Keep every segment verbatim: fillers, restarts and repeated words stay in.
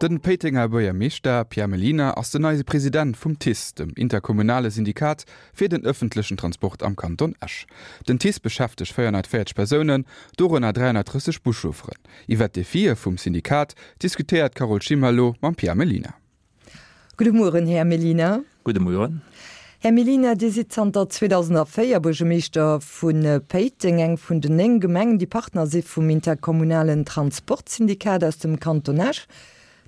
De Péitenger Buergermeeschter Pierre Mellina ass den neie President vum TICE, dem interkommunale Syndikat fir den ëffentlechen Transport am Kanton Esch. Den TICE beschäftegt véierhonnertvéierzeg Persounen, dorënner dräihonnertdrësseg Buschaufferen. Iwwer d'Defie vum Syndikat diskutéiert d'Carole Schimmer elo mam Pierre Mellina. Gudde Mueren, Här Mellina. Gudde Mueren. Här Mellina, Dir sidd zanter zweedausendvéier Buergermeeschter vu Péiteng, eng vun den néng Gemengen, déi Partner si vum interkommunalen Transportsyndikat aus dem Kanton Esch.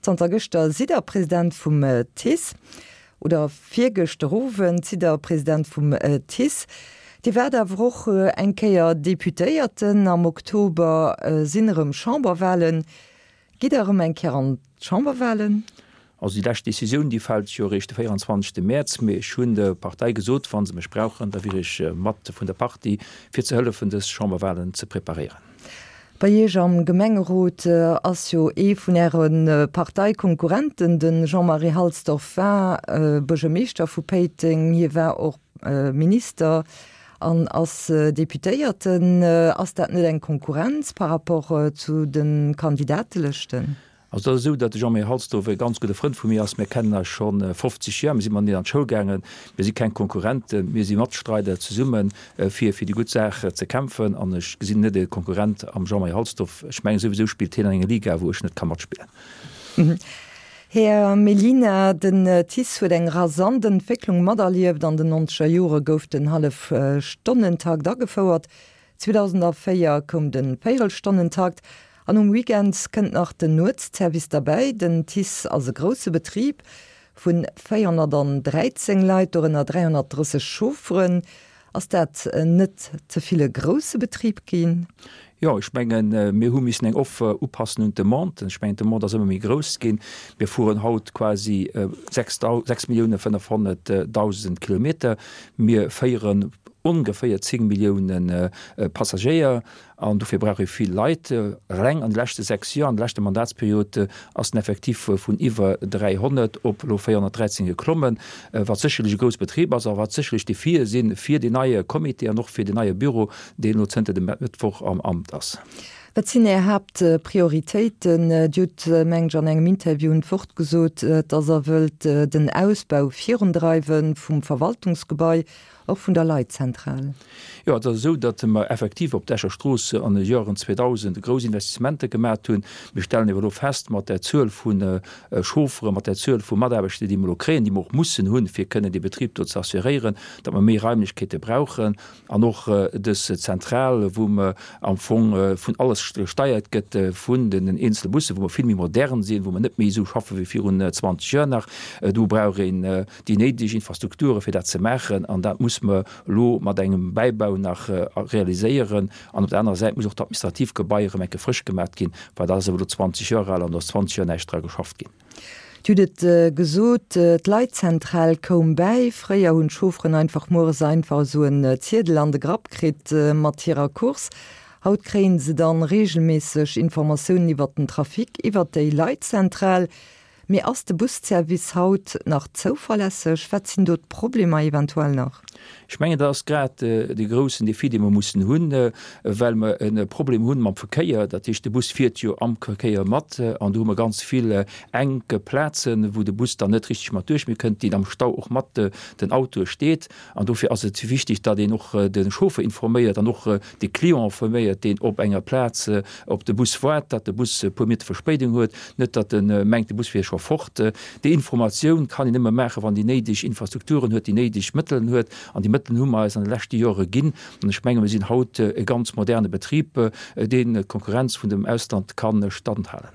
Zanter gëschter sidd Der President vum TICE, oder virgëschter Owend sidd Der President vum TICE. Dir waart awer och eng Kéier Deputéierten. Am Oktober sinn erëm Chamberwahlen. Gitt Der erëm eng Kéier an d'Chamberwahlen? Also déi lescht Decisioun, déi fält jo eréischt de véieranzwanzegste Mäerz, mee ech hunn der Partei gesot, wa se mech brauchen, da wier ech mat vun der Partie, fir ze hëllefen, dës Chamberwahlen ze preparéieren. Bei Iech am Gemengerot ass jo ee vun Äre Parteikonkurrenten, de Jean-Marie Halsdorf war Buergermeeschter vu Péiteng, hie war och Minister an ass Deputéierten. Ass dat net eng Konkurrenz par rapport zu de Kandidatelëschten? Also et ass esou, datt de Jean-Marie Halsdorf e ganz gudde Frënd vu mir ass. Mir kennen eis scho fofzeg Joer. Mir si mateneen an d'Schoul gaangen. Mir si keng Konkurrenten, mir si Matstreider zesumme fir fir déi gutt Saach ze kämpfen. An ech gesinn net e Konkurrent am Jean-Marie Halsdorf. Ech mengen souwisou spillt hien an enger Liga, wou ech net ka matspillen. Här Mellina, den TICE huet eng rasant Entwécklung materlieft. An den nonzeger Jore gouf den Hallefstonnentakt agefouert. zweedausendvéier koum de Véierelstonnentakt an um Weekend kënnt nach den Nuetsservice derbäi. Den TICE ass e grousse Betrib vu véierhonnertdräizéng Leit, dorënner dräihonnertdrësseg Chaufferen. Ass dat net ze vill e grousse Betrib ginn? Jo, ech mengen, mir hu missen eng Offer upassen un d'Demande. Ech mengen, d'Demande ass ëmmer méi grouss ginn. Mir fueren haut quasi sechs Millioune fënnefhonnertdausend Kilometer. Mir féieren ongeféier zéng Millioune Passagéier an dofir brauch ee vill Leit. Eleng an de leschte sechs Joer, an der leschter Mandatsperiod, ass den Effectif vun iwwer dräihonnert op elo véierhonnertdräizéng geklommen, wat sécherlech e grouss Betrib ass a wat sécherlech Defie si fir deen neie Comité an och fir deen neie Büro, deen elo zënter dem Mëttwoch am Amt ass. Wat sinn Är Haaptprioritéiten? Dir hutt, mengen ech, an engem Interview un d'Wort gesot, datt Der wëllt den Ausbau virundreiwe vum Verwaltungsgebai, och vun der Leitzentral. Jo, et ass esou, datt mer effektiv op der Escher Strooss an de Joren zweedausend grouss Investissementer gemat hunn. Mir stellen awer elo fest, mat där Zuel vu Chaufferen, mat där Zuel vu Mataarbechter, déi mer elo kréien, déi mer och mussen hunn, fir kënnen dee Betrib do ze assuréieren, datt mer méi Raimlechkeete brauchen. An och dës Zentral, wou mer am Fong vun alles gesteiert gëtt, vun den eenzele Bussen, wou mer vill méi modern sinn, wou mer net méi esou schaffe wéi virun zwanzeg Joer nach, do brauch een déi néideg Infrastrukture fir dat ze maachen. An dat muss mer elo mat engem Bäibau nach realiséieren. An op der anerer Säit muss och d'administrativ Gebai erëm eng Kéier frësch gemat ginn, well dat ass elo zwanzeg Joer al an do ass zwanzeg Joer näischt dra geschafft ginn. Dir hutt et gesot, d'Leitzentral koum bäi. Fréier hunn d'Chaufferen einfach mueres einfach esou en Ziedel an de Grapp kritt mat hirer Course. Haut kréien se dann reegelméisseg Informatiounen iwwert den Trafic iwwert déi Leitzentral. Mee ass de Busservice haut nach zouverlässeg? Wat sinn do d'Problemer eventuell nach? Ech mengen, dat ass grad dee groussen Défi, dee mer mussen hunn, well mer e Problem hunn mam Verkéier. Dat heescht, de Bus fiert jo am Verkéier mat an do hu mer ganz vill enk Plazen, wou de Bus dann net richteg mat duerch méi kënnt, deen am Stau och mat den Autoe steet. An dofir ass et wichtig, datt een och de Chauffer informéiert an och de Client informéiert, deen op enger Plaz op de Bus waart, datt de Bus e puer Minutte Verspéidung huet, net datt e mengt, de Bus wier scho fort. Déi Informatioun kann een nëmme maachen, wann déi néideg Infrastrukturen huet, déi néideg Mëttelen huet. An déi Mëttelen hu mer eis an de leschte Jore ginn. An ech menge mir sinn haut e ganz moderne Betrib, deen d'Konkurrenz vun dem Ausland ka standhalen.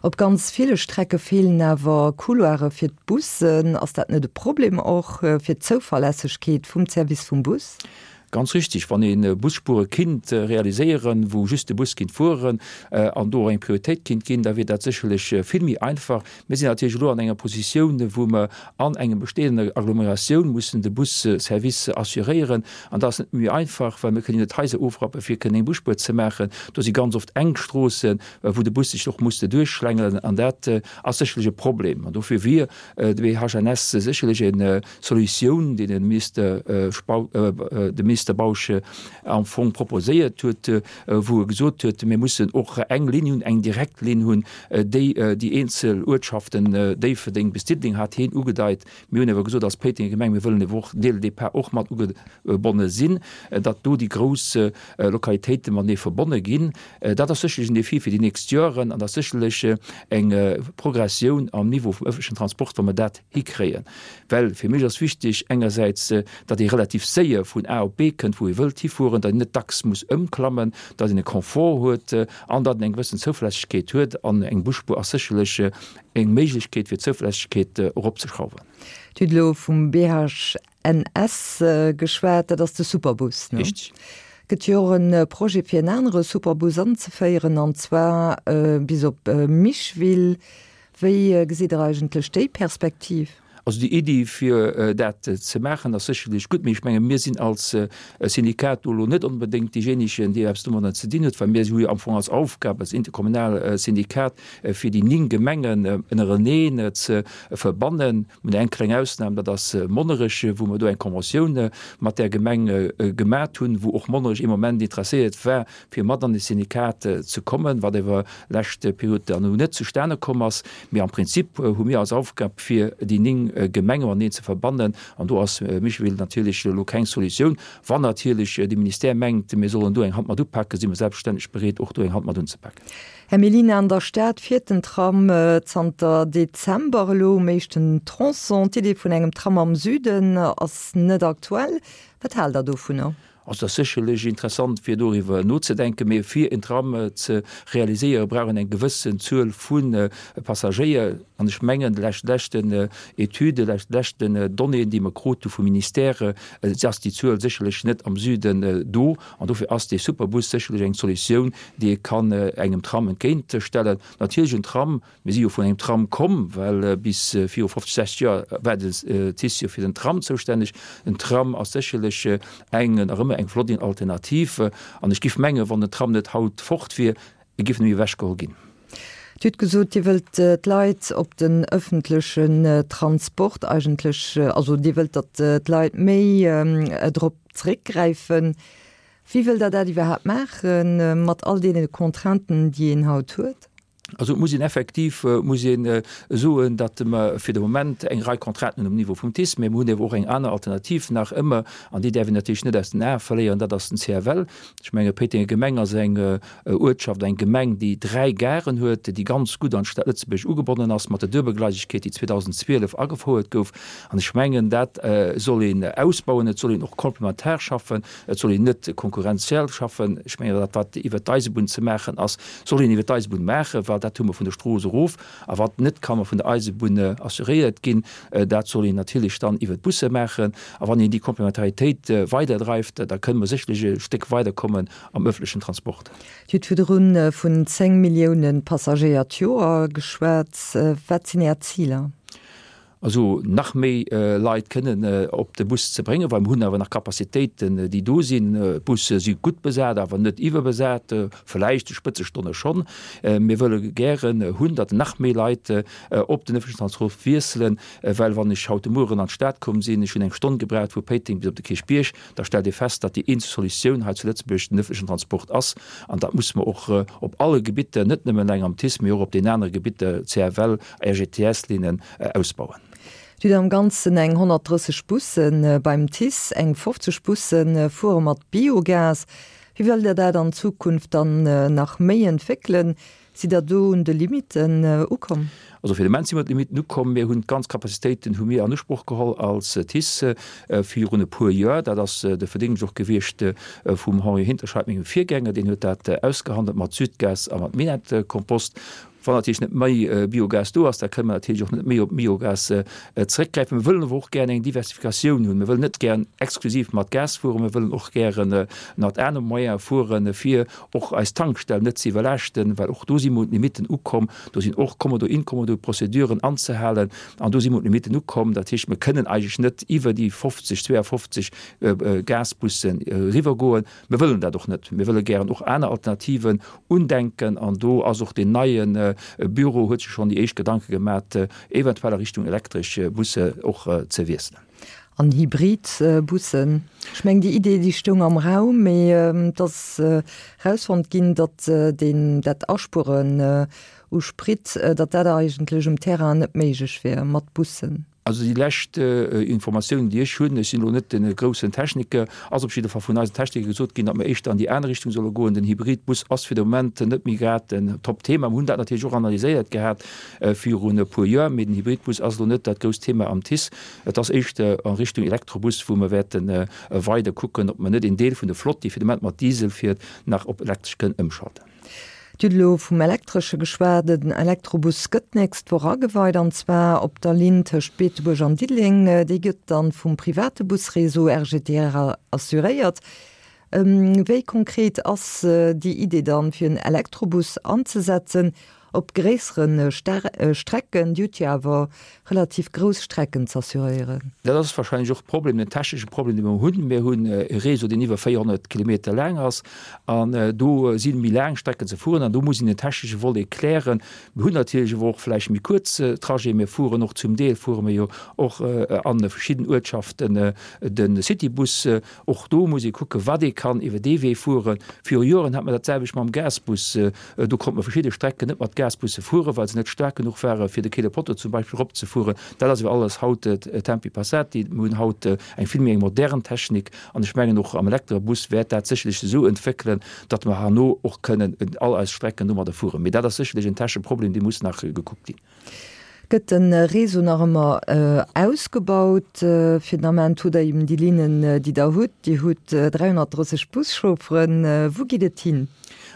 Op ganz ville Strecke feelen awer Couloire fir d'Bussen. Ass dat net e Problem och fir d'Zouverlässegkeet vum Service vum Bus? Ganz richtig, wann ee Busspuere kinnt realiséieren, wou just de Bus kinnt fueren an do och eng Prioritéit kinnt ginn, da wier dat sécherlech vill méi einfach. Mir sinn natierlech elo an enger Positioun, wou mer an engem bestehender Agglomeratioun mussen de Busservice assuréieren. An dat ass net méi einfach, well mir kënnen jo net d'Haiser ofrappen, fir kënnen eng Busspuer ze maachen. Do si ganz oft enk Stroossen, wou de Bus sech och muss duerchschlängelen, an dat ass sécherlech e Problem. An dofir wier de B H N S sécherlech eng Solutioun, déi de Minister Spautz, de Minister Minister Bausch am Fong proposéiert huet, wou e gesot huet, mir mussen och eng Linn hunn, eng direkt Linn hunn, déi déi eenzel Uertschaften, Déifferdeng bis Diddeleng hat hien ugedeit. Mir hunn awer gesot als Péitenger Gemeng, mir wëllen awer och dès le départ och mat ugebonne sinn, datt do déi grouss Lokalitéite matenee verbonne ginn. Dat ass sécherlech en Défi fir déi nächst Joren an dat ass sécherlech eng Progressioun am Niveau vum öffentlechen Transport, wa mer dat hikréien. Well fir mech ass wichtig engersäits, datt ee relativ séier vun A op B kënnt, wou ee wëllt hifueren, datt een net dacks muss ëmklammen, datt een e Confort huet an datt een eng gewëssen Zouverlässegkeet huet. An eng Busspuer ass sécherlech eng Méiglechkeet, fir d'Zouverlässegkeet eropzeschrauwen. Dir hutt elo vum BHNS geschwat, dat ass de Superbus, ne? Richtig. Gëtt jo och e Projet, fir en anere Superbus anzeféieren, an zwar bis op Micheville. Wéi gesitt Der eigentlech déi Perspektiv? Also déi Iddi, fir dat ze maachen, ass sécherlech gutt, mee ech menge mir sinn als Syndikat do elo net onbedéngt deejéinegen, dee eppes domadder ze dinn huet, well mir hu jo am Fong als Aufgab als interkommunal Syndikat, fir déi néng Gemengen ënnereneen ze verbannen. Mir hunn eng kleng Ausnam, dat ass Monnerech, wou mer do eng Conventioun mat där Gemeng gemat hunn, wou och Monnerech ee Moment interesséiert war, fir mat an de Syndikat ze kommen, wat awer lescht Period dann elo net zustane komm ass. Mee am Prinzip hu mir als Aufgab, fir déi néng Gemenge mateneen ze verbannen, an do ass Micheville natierlech elo keng Solutioun. Wann natierlech de Ministère mengt, mir sollen do eng Hand mat upaken, si mir selbstverständlech bereet, och do eng Hand mat unzepaken. Här Mellina, an der Stad fiert den Tram zanter Dezember elo um éischten Tronçon. D'Idee vun engem Tram am Süden ass net aktuell. Wat haalt Der dovunner? Also et ass sécherlech interessant, fir doriwwer nozedenken, mee fir en Tram ze realiséieren, brauch een eng gewëssen Zuel vu Passagéier. An ech mengen, laut leschten Etüden, laut leschten Donnéeën, déi mer krut hu vum Ministère, ass déi Zuel sécherlech net am Süden do. An dofir ass dee Superbus sécherlech eng Solutioun, déi ee kann engem Tram entgéintstellen. Natierlech en Tram, mir si jo vun engem Tram komm, well bis viru fofzeg, sechzeg Joer war den TICE jo fir den Tram zoustänneg. En Tram ass sécherlech eng, nach ëmmer eng flott Alternativ. An ech giff mengen, wann den Tram net haut fort wier, e giff net méi ewechgeholl ginn. Dir hutt gesot, Dir wëllt d'Leit op den ëffentlechen Transport eigentlech, also Dir wëllt, datt d'Leit méi drop zréckgräifen. Wéi wëllt Der dat iwwerhaapt maache mat all deene Contrainten, déi een haut huet? Also et muss een effektiv muss een soen, datt mer fir de Moment eng Rei Contrainten hunn um Niveau vum TICE, mä mir hunn awer och eng aner Alternativ nach ëmmer, an déi däerf een natierlech net aus den Ae verléieren, dat ass den C F L. Ech menge Péitenger Gemeng ass eng Uertschaft, eng Gemeng, déi dräi Garen huet, déi ganz gutt an d'Stad Lëtzebuerg ugebonnen ass mat der Duebelgleisegkeet, déi zweedausenzwielef agefouert gouf. An ech mengen, dat soll een ausbauen. Et soll een och komplementar schaffen, et soll een net konkurrenziell schaffen. Ech mengen, dat wat iwwert d'Eisebunn ze maachen ass, soll een iwwert d'Eisebunn maachen, well dat hu mer vun der Strooss erof. A wat net ka vun der Eisebunn assuréiert ginn, dat soll een natierlech dann iwwert d'Busse maachen. A wann een déi Komplementaritéit weiderdreift, da kënne mer sécherlech e Stéck weiderkommen am ëffentlechen Transport. Dir hutt virdrun vun zéng Millioune Passagéier d'Joer geschwat. Wat sinn Är Ziler? Also nach méi Leit kënnen op de Bus ze bréngen, well mir hunn awer nach Capacitéiten, déi do sinn. D'Busse si gutt besat, awer net iwwerbesat, vläicht de Spëtzestonne schonn. Mir wëlle gären hunn, datt nach méi Leit op den ëffentlechen Transport wiesselen, well wann ech haut de Mueren an d'Stad komm sinn, ech hunn eng Stonn gebraucht vu Péiteng bis op de Kierchbierg, da stellt ee fest, datt déi eenzeg Solutioun hei zu Lëtzebuerg den ëffentlechen Transport ass. An dat musse mer och op alle Gebitter, net nëmmen eleng am TICE, mee och op den anere Gebitter, C F L, R G T S-Linnen, ausbauen. Dir hutt am Ganzen eng honnertdrësseg Busse beim TICE, eng fofzeg Busse fuere mat Biogas. Wéi wëllt Der dat an Zukunft dann nach méi entwéckelen? Sidd Der do un de Limitten ukomm? Also fir de Moment si mer un d'Limitten ukomm. Mir hunn d'ganz Capacitéiten hu mir an Usproch geholl als TICE virun e puer Joer. Dat ass de Verdéngscht och gewiescht vum Henri Hinterscheid, mengem Virgänger. Deen huet dat ausgehandelt mat Südgas a mat Minett-Kompost. Wann natierlech net méi Biogas do ass, da kënne mer natierlech och net méi op Biogas zeréckgräifen. Mir wëllen awer och gären eng Diversifikatioun hunn. Mir wëllen net gären exklusiv mat Gas fueren, mir wëllen och gären mat anere Moyene fueren, fir och eis Tankstellen net ze iwwerlaaschten, well och do si mer un d'Limitten ukomm. Do sinn och Kommodo-Inkommodo-Prozeduren anzehalen an do si mer un d'Limitten ukomm. Dat heescht, mir kënnen eigentlech net iwwer déi fofzeg, zweeafofzeg Gasbussen eriwwergoen. Mir wëllen dat och net. Mir wëlle gären och aner Alternativen undenken an do ass och deen neie Büro huet sech schonn déi éischt Gedanke gemat, eventuell a Richtung elektresch Busse och ze wiesselen. An Hybridbussen? Ech mengen, déi Idee, déi stoung am Raum, mee et ass erausfonnt ginn, datt deen, dat Aspueren u Sprit, datt dat eigentlech um Terrain net méiglech wier mat Bussen. Also déi lescht Informatiounen, déi ech hunn, ech sinn elo net de groussen Techniker, ass op jidde Fall vun eisen Techniker gesot ginn, datt mer éischter an déi aner Richtung solle goen. Den Hybridbus ass fir de Moment net méi grad en Top-Thema. Mer hunn dat natierlech och analyséiert gehat virun e puer Joer, mee den Hybridbus ass elo net dat grousst Thema am TICE. Et ass éischter a Richtung Elektrobus, wou mer wäerte weider kucken, ob mer net een Deel vun der Flott, déi fir de Moment mat Diesel fiert, nach op elektresch kënnen ëmschalten. Dir hutt elo vum Elektresche geschwat. Den Elektrobus gëtt d'nächst Woch ageweit, an zwar op der Linn tëscht Beetebuerg an Diddeleng. Déi gëtt dann vum private Busreseau R G T R assuréiert. Wéi konkret ass déi Idee dann, fir en Elektrobus anzesetzen op gréissere Strecken? Dir hutt jo awer relativ grouss Strecken z'assuréieren. Dat ass wahrscheinlech och de Problem, den technesche Problem, dee mer hunn. Mir hunn e Réseau, deen iwwer véierhonnert Kilometer laang ass, an do si méi laang Strecken ze fueren, an do muss een den technesche Volet klären. Mir hunn natierlech awer och vläicht méi kuerz Trajeten. Mir fueren och, zum Deel fuere mir jo och a verschidden Uertschaften de Citybus. Och do muss ee kucken, wat ee kann iwwer dee Wee fueren. Viru Joren hat mer dat selwecht mam Gasbus. Do konnte mer verschidde Strecken net mat Gasbusse fueren, well se net staark genuch ware fir de Quai de Potto zum Beispill eropzefueren. Dat ass awer alles haut tempi passati. Mir hunn haut eng vill méi eng modern Technik an ech mengen och am Elektrebus wäert dat sécherlech esou entwéckelen, datt mer herno och kënnen all eis Strecken domadder fueren. Mee dat ass sécherlech en technesche Problem, dee muss nach gekuckt ginn. Gëtt de Réseau nach ëmmer ausgebaut? Fir den Ament hutt Der eben déi Linnen, déi Der hutt. Dir hutt dräihonnertdrësseg Buschaufferen. Wou geet et hin?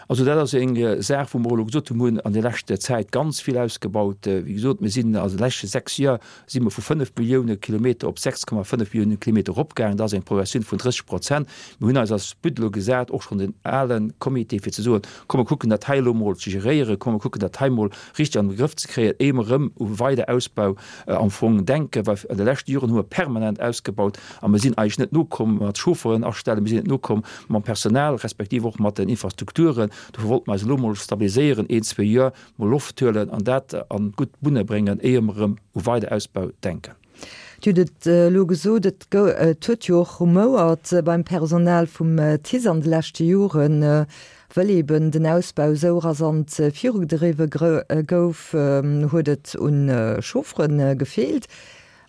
Also dat ass eng Saach, wou mer elo gesot hunn, mir hunn an der leschter Zäit ganz vill ausgebaut. Wéi gesot, mir sinn an de leschte sechs Joer si mer vu fënnef Millioune Kilometer op sechs Komma fënnef Millioune Kilometer eropgaangen. Dat ass eng Progressioun vun drësseg Prozent. Mir hunn eis als But elo gesat, och schonn den ale Comité, fir ze soen, komm mer kucken dat hei elo emol ze geréieren, komm mer kucken dat hei emol richteg an de Grëff ze kréien, éier mer erëm u weider Ausbau am Fong denken, well an de leschte Joren hu mer permanent ausgebaut a mer sinn eigentlech net nokomm mat Chauffeuren astellen, mir sinn net nokomm mam Personal respektiv och mat den Infrastrukturen. Dofir wollte mer eis elo mol stabiliséieren, een, zwee Joer mol Loft huelen an dat an gutt Bunne bréngen, éier mer erëm u weider Ausbau denken. Dir hutt et elo gesot, et et huet jo och rumouert beim Personal vum TICE an de leschte Joren, wëll eben den Ausbau esou rasant virugedriwwe gouf, huet et un Chauffere gefeelt.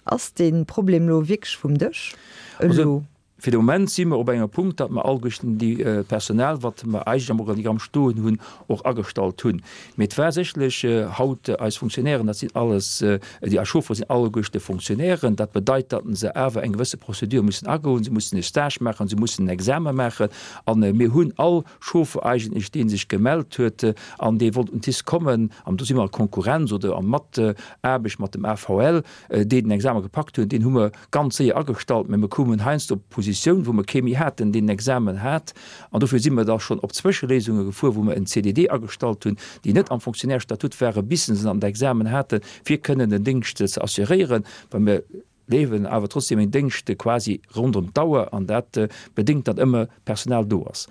Ass dee Problem elo wierklech vum Dësch elo? Fir de Moment si mer op engem Punkt, datt mer alleguerten déi Personal, wat mer eigentlech am Organigramm stoen hunn, och agestallt hunn. Mee et war sécherlech haut eis Fonctionnairen, dat sinn alles, déi eis Chauffere sinn alleguerste Fonctionnairen. Dat bedeit, datt se awer eng gewësse Procédure mussen agoen. Se mussen e Stage maachen, se mussen en Examen maachen. A mir hunn all Chauffer eigentlech, dee sech gemellt huet an dee wollt un d'TICE kommen, an do si mer a Konkurrenz oder a Mataarbecht mat dem A V L, déi den Examen gepackt hunn, deen hu mer ganz séier agestallt, mä mir koumen heiansdo op Positioun, wou mer kee méi haten, deen den Examen hat. An dofir si mer da schonn op Zwëscheléisunge gefuer, wou mer en C D D agestallt hunn, déi net am Fonctionnaire-Statut waren, bis se dann den Examen haten, fir kënnen den Déngscht ze assuréieren, well mir leewen awer trotzdem en Déngscht quasi ronderëm d'Auer an dat bedéngt, datt ëmmer Personal do ass.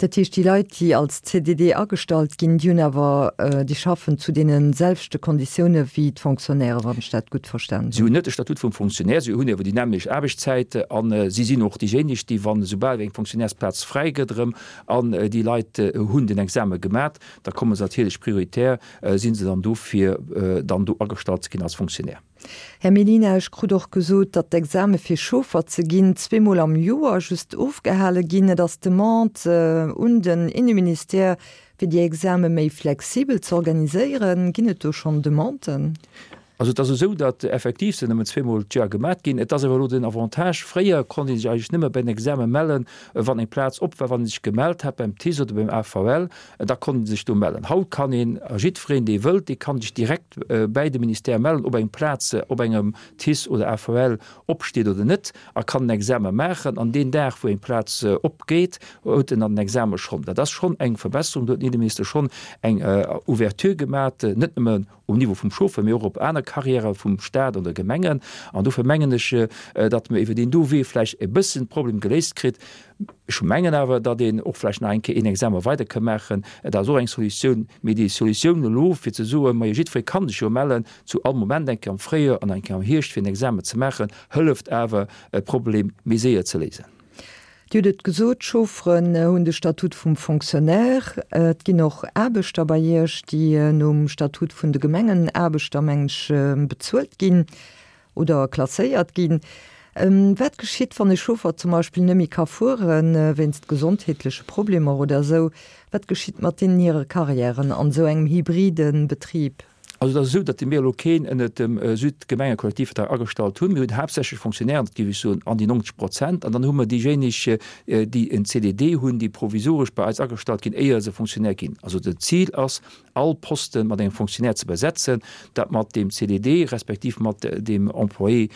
Dat heescht, déi Leit, déi als C D D agestallt ginn, déi hunn awer, déi schaffen zu deene selwechte Konditioune wéi d'Fonctionnaires, wann ech dat gutt verstanen Si hunn. hunn net de Statut vum Fonctionnaire, si hunn awer déi nämmlecht Aarbechtszäit a si sinn och déijéineg, déi, wann esoubal eng Fonctionnairesplaz fräi gëtt erëm an déi Leit hunn den Exame gemat, da komme se natierlech prioritär, si se dann do fir dann do agestallt ze ginn als Fonctionnaire. Här Mellina, ech krut och gesot, datt d'Exame fir Chauffer ze ginn zweemol am Joer just ofgehale ginn. Et ass d'Demande un den Inneministère, fir déi Exame méi flexibel ze organiséieren. Ginn et do schonn Demanden? Also et ass esou, datt effektiv se nëmmen zweemol d'Joer gemat ginn. Et ass awer elo den Avantage, fréier konnt ee sech eigentlech nëmme bei den Exame mellen, wann eng Plaz op war, wann ee sech gemellt hat beim TICE oder beim A V L, da konnt ee sech do mellen. Haut kann een, a jiddwereen, dee wëllt, dee kann sech direkt bäi de Ministère mellen, ob eng Plaz op engem TICE oder A V L opsteet oder net, a kann den Exame maachen. An deen Dag, wou eng Plaz opgeet, huet en dann den Exame schonn. Dat ass schonn eng Verbesserung, do huet den Inneminister schonn eng Ouverture gemat, net nëmmen um Niveau vum Chauffer, mee och op aner Carrièrë vum Stat an de Gemengen. An dofir mengen ech, datt mer iwwer deen do Wee vläicht e bëssen d'Problem geléist kritt. Ech mengen awer, datt een och vläicht nach eng Kéier een Examen weider ka maachen. Dat ass och eng Solutioun. Mee déi Solutioun elo, fir ze soen, majo jiddweree ka sech jo mellen, zu all Moment, eng Kéier am Fréijoer an eng Kéier am Hierscht, fir en Examen ze maachen, hëlleft awer, e Problem méi séier ze léisen. Dir hutt et gesot, d'Chaufferen hunn de Statut vum Fonctionnaire. Et ginn och Aarbechter bei Iech, déi nom Statut vun de Gemengenaarbechter, mengen ech, bezuelt ginn oder klasséiert ginn. Wat geschitt, wann e Chauffer zum Beispill net méi ka fueren, wéinst gesondheetleche Problemer oder esou? Wat geschitt mat deenen hire Carrièren an esou engem hybride Betrib? Also et ass esou, datt mir elo keen ënnert dem Südgemengekollektivvertrag agestallt hunn. Mir hunn haaptsächlech Fonctionnairen, dat géif ech soen, an déi neunzeg Prozent. An dann hu mer déijéineg, déi en C D D hunn, déi provisoresch bei eis agestallt ginn, éier se Fonctionnaire ginn. Also dat Zil ass, all Poste mat engem Fonctionnaire ze besetzen. Dat mat deem C D D respektiv mat deem Employé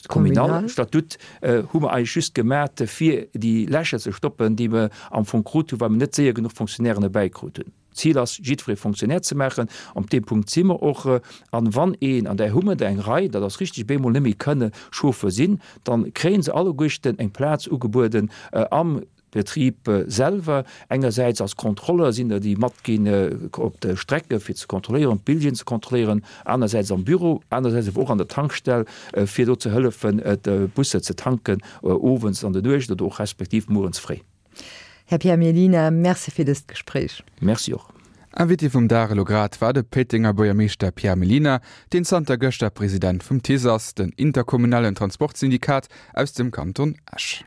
communal Statut hu mer eigentlech just gemat, fir déi Lächer ze stoppen, déi mer am Fong krut hunn, well mer net séier genuch Fonctionnairen erbäikrut hunn. D'Zil ass, jiddweree Fonctionnaire ze maachen. Op deem Punkt si mer och. An wann een, an där hu mer der eng Rei, dat ass richtig, bemol net méi kënne Chauffeur sinn, da kréie se alleguerten eng Plaz ugebueden am Betrib selwer. Engersäits als Kontrolleur sinn der, déi matginn op de Strecke fir ze kontrolléieren, d'Billjeeën ze kontrolléieren, anersäits am Büro, anersäits awer och an der Tankstell, fir do ze hëllefen, d'Busser ze tanken, owends an der Nuecht oder och respektiv muerens fréi. Här Pierre Mellina, Merci fir dëst Gespréich. Merci och. Invité vum Dag elo grad war de Péitenger Buergermeeschter Pierre Mellina, deen zanter gëschter President vum TICE ass, den interkommunalen Transportsyndikat aus dem Kanton Esch.